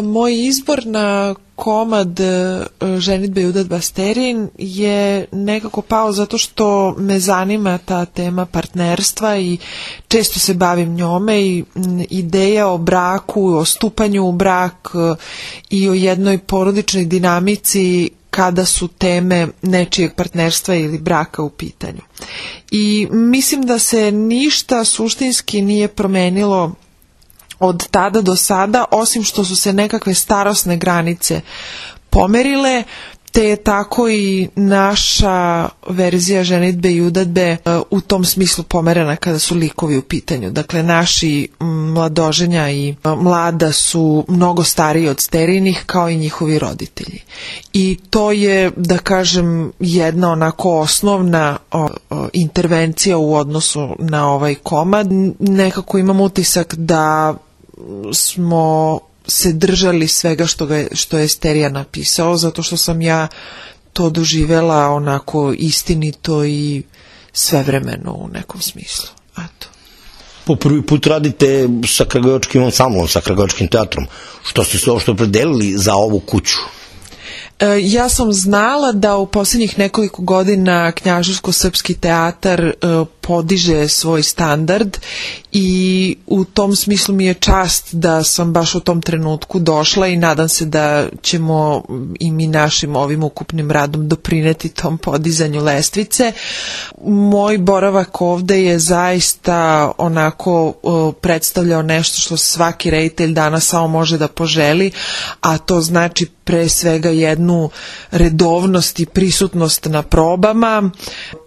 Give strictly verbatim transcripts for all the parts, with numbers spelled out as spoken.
Moj izbor na komad Ženidbe i udadba Sterin je nekako pao zato što me zanima ta tema partnerstva i često se bavim njome i ideja o braku, o stupanju u brak i o jednoj porodičnoj dinamici kada su teme nečijeg partnerstva ili braka u pitanju. I mislim da se ništa suštinski nije promenilo od tada do sada, osim što su se nekakve starosne granice pomerile, te je tako i naša verzija ženidbe i udadbe u tom smislu pomerena kada su likovi u pitanju. Dakle, naši mladoženja i mlada su mnogo stariji od Sterinih, kao i njihovi roditelji. I to je, da kažem, jedna onako osnovna o, o, intervencija u odnosu na ovaj komad. Nekako imam utisak da smo se držali svega što, ga, što je Sterija napisao, zato što sam ja to doživela onako istinito i svevremeno u nekom smislu. Eto. Po prvi put radite sa Kragujevačkim ansamblom, sa Kragujevačkim teatrom. Što ste se uopšte opredelili za ovu kuću? Ja sam znala da u posljednjih nekoliko godina Knjaževsko-srpski teatar podiže svoj standard i u tom smislu mi je čast da sam baš u tom trenutku došla i nadam se da ćemo i mi našim ovim ukupnim radom doprineti tom podizanju lestvice. Moj boravak ovde je zaista onako predstavljao nešto što svaki reditelj danas samo može da poželi, a to znači pre svega jednu redovnost i prisutnost na probama,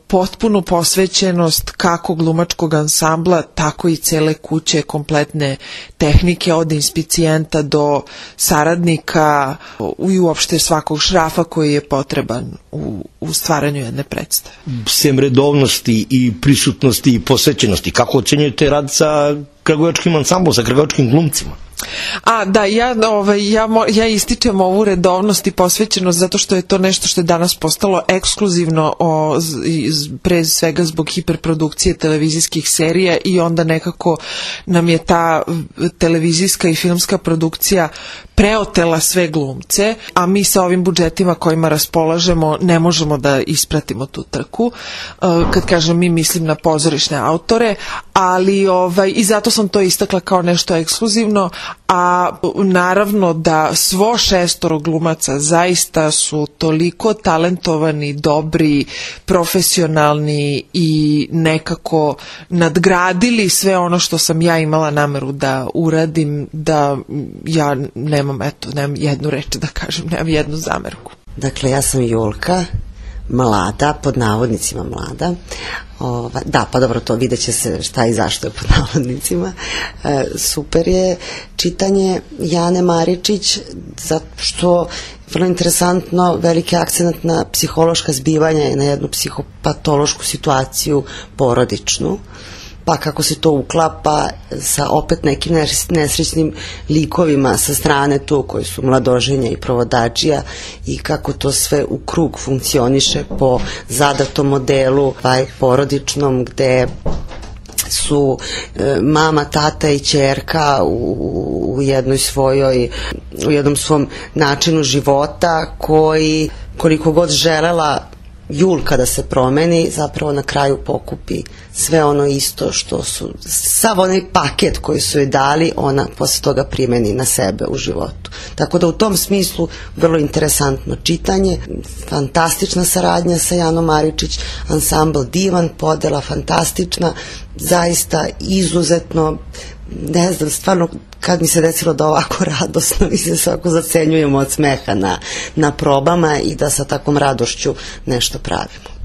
potpunu posvećenost kako glumačkog ansambla, tako i cele kuće, kompletne tehnike od inspicijenta do saradnika i uopšte svakog šrafa koji je potreban u, u stvaranju jedne predstave. Sem redovnosti i prisutnosti i posvećenosti, kako ocenjujete rad sa Kragujevačkim ansamblom, sa kragujevačkim glumcima? A, da, ja, ovaj, ja, ja ističem ovu redovnost i posvećenost zato što je to nešto što je danas postalo ekskluzivno o, pre svega zbog hiperprodukcije televizijskih serija i onda nekako nam je ta televizijska i filmska produkcija preotela sve glumce, a mi sa ovim budžetima kojima raspolažemo ne možemo da ispratimo tu trku. Kad kažem mi, mislim na pozorišne autore, ali ovaj, i zato sam to istakla kao nešto ekskluzivno, a naravno da svo šestoro glumaca zaista su toliko talentovani, dobri, profesionalni i nekako nadgradili sve ono što sam ja imala nameru da uradim, da ja nemam, eto, nemam jednu reč da kažem, nemam jednu zamerku. Dakle, ja sam Julka, mlada, pod navodnicima mlada. Ova, da, pa dobro, to vidjet će se šta i zašto je pod navodnicima. E, super je čitanje Jane Maričić, zato što vrlo interesantno, veliki akcent na psihološka zbivanja i na jednu psihopatološku situaciju porodičnu, pa kako se to uklapa sa opet nekim nesrećnim likovima sa strane tu koji su mladoženja i provodačija i kako to sve u krug funkcioniše po zadatom modelu ovaj, porodičnom gde su e, mama, tata i ćerka u, u jednoj svojoj u jednom svom načinu života koji koliko god želela Julka da se promeni, zapravo na kraju pokupi sve ono isto što su, sav onaj paket koji su joj dali, ona posle toga primeni na sebe u životu. Tako da u tom smislu vrlo interesantno čitanje, fantastična saradnja sa Janom Maričić, ansambl divan, podela fantastična, zaista izuzetno, ne znam, stvarno kad mi se desilo da ovako radosno mi se svako zacenjujemo od smeha na, na probama i da sa takvom radošću nešto pravimo.